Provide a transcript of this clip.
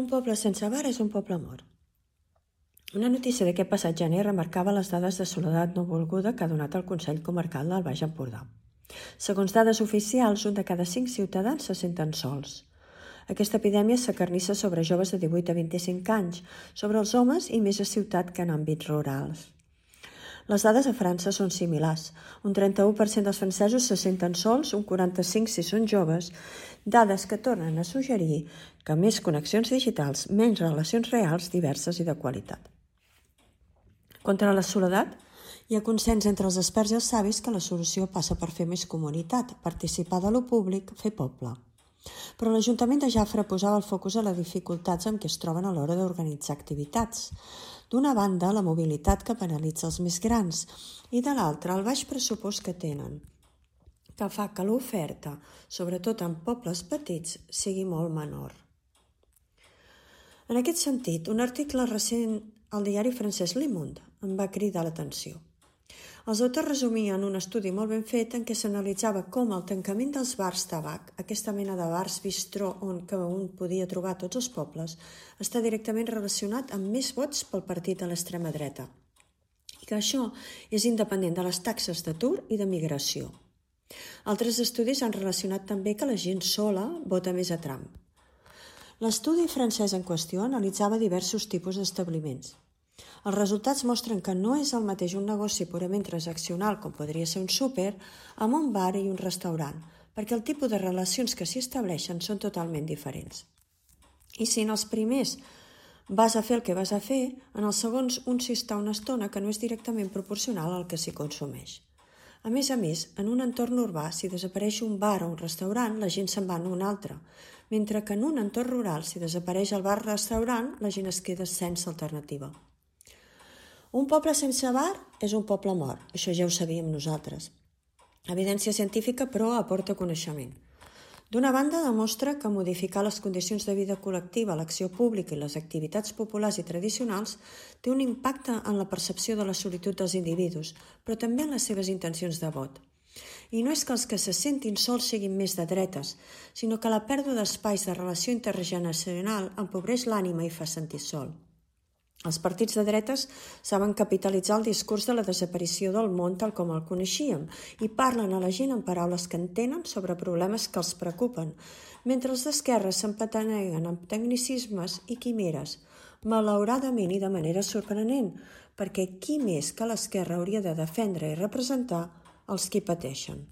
Un poble sense bar és un poble mort. Una notícia d'aquest passat gener remarcava les dades de soledat no volguda que ha donat el Consell Comarcal del Baix Empordà. Segons dades oficials, 1 de cada 5 ciutadans se senten sols. Aquesta epidèmia s'acarnissa sobre joves de 18 a 25 anys, sobre els homes i més a ciutat que en àmbits rurals. Les dades a França són similars. Un 31% dels francesos se senten sols, un 45% si són joves, dades que tornen a suggerir que més connexions digitals, menys relacions reals, diverses i de qualitat. Contra la soledat, hi ha consens entre els experts i els savis que la solució passa per fer més comunitat, participar de lo públic, fer poble. Però l'Ajuntament de Jafre posava el focus a les dificultats amb què es troben a l'hora d'organitzar activitats. D'una banda, la mobilitat que penalitza els més grans i de l'altra, el baix pressupost que tenen, que fa que l'oferta, sobretot en pobles petits, sigui molt menor. En aquest sentit, un article recent al diari francès Le Monde em va cridar l'atenció. Els autors resumien un estudi molt ben fet en què s'analitzava com el tancament dels bars tabac, aquesta mena de bars bistró on un podia trobar tots els pobles, està directament relacionat amb més vots pel partit de l'extrema dreta. I que això és independent de les taxes d'atur i de migració. Altres estudis han relacionat també que la gent sola vota més a Trump. L'estudi francès en qüestió analitzava diversos tipus d'establiments. Els resultats mostren que no és el mateix un negoci purament transaccional, com podria ser un súper, amb un bar i un restaurant, perquè el tipus de relacions que s'hi estableixen són totalment diferents. I si en els primers vas a fer el que vas a fer, en els segons un s'hi està una estona que no és directament proporcional al que s'hi consumeix. A més, en un entorn urbà, si desapareix un bar o un restaurant, la gent se'n va a un altre, mentre que en un entorn rural, si desapareix el bar o restaurant, la gent es queda sense alternativa. Un poble sense bar és un poble mort, això ja ho sabíem nosaltres. Evidència científica, però, aporta coneixement. D'una banda, demostra que modificar les condicions de vida col·lectiva, l'acció pública i les activitats populars i tradicionals té un impacte en la percepció de la solitud dels individus, però també en les seves intencions de vot. I no és que els que se sentin sols siguin més de dretes, sinó que la pèrdua d'espais de relació intergeneracional empobreix l'ànima i fa sentir sol. Els partits de dretes saben capitalitzar el discurs de la desaparició del món tal com el coneixíem i parlen a la gent en paraules que entenen sobre problemes que els preocupen, mentre els d'esquerres s'empataneguen amb tecnicismes i quimeres, malauradament i de manera sorprenent, perquè qui més que l'esquerra hauria de defendre i representar els qui pateixen.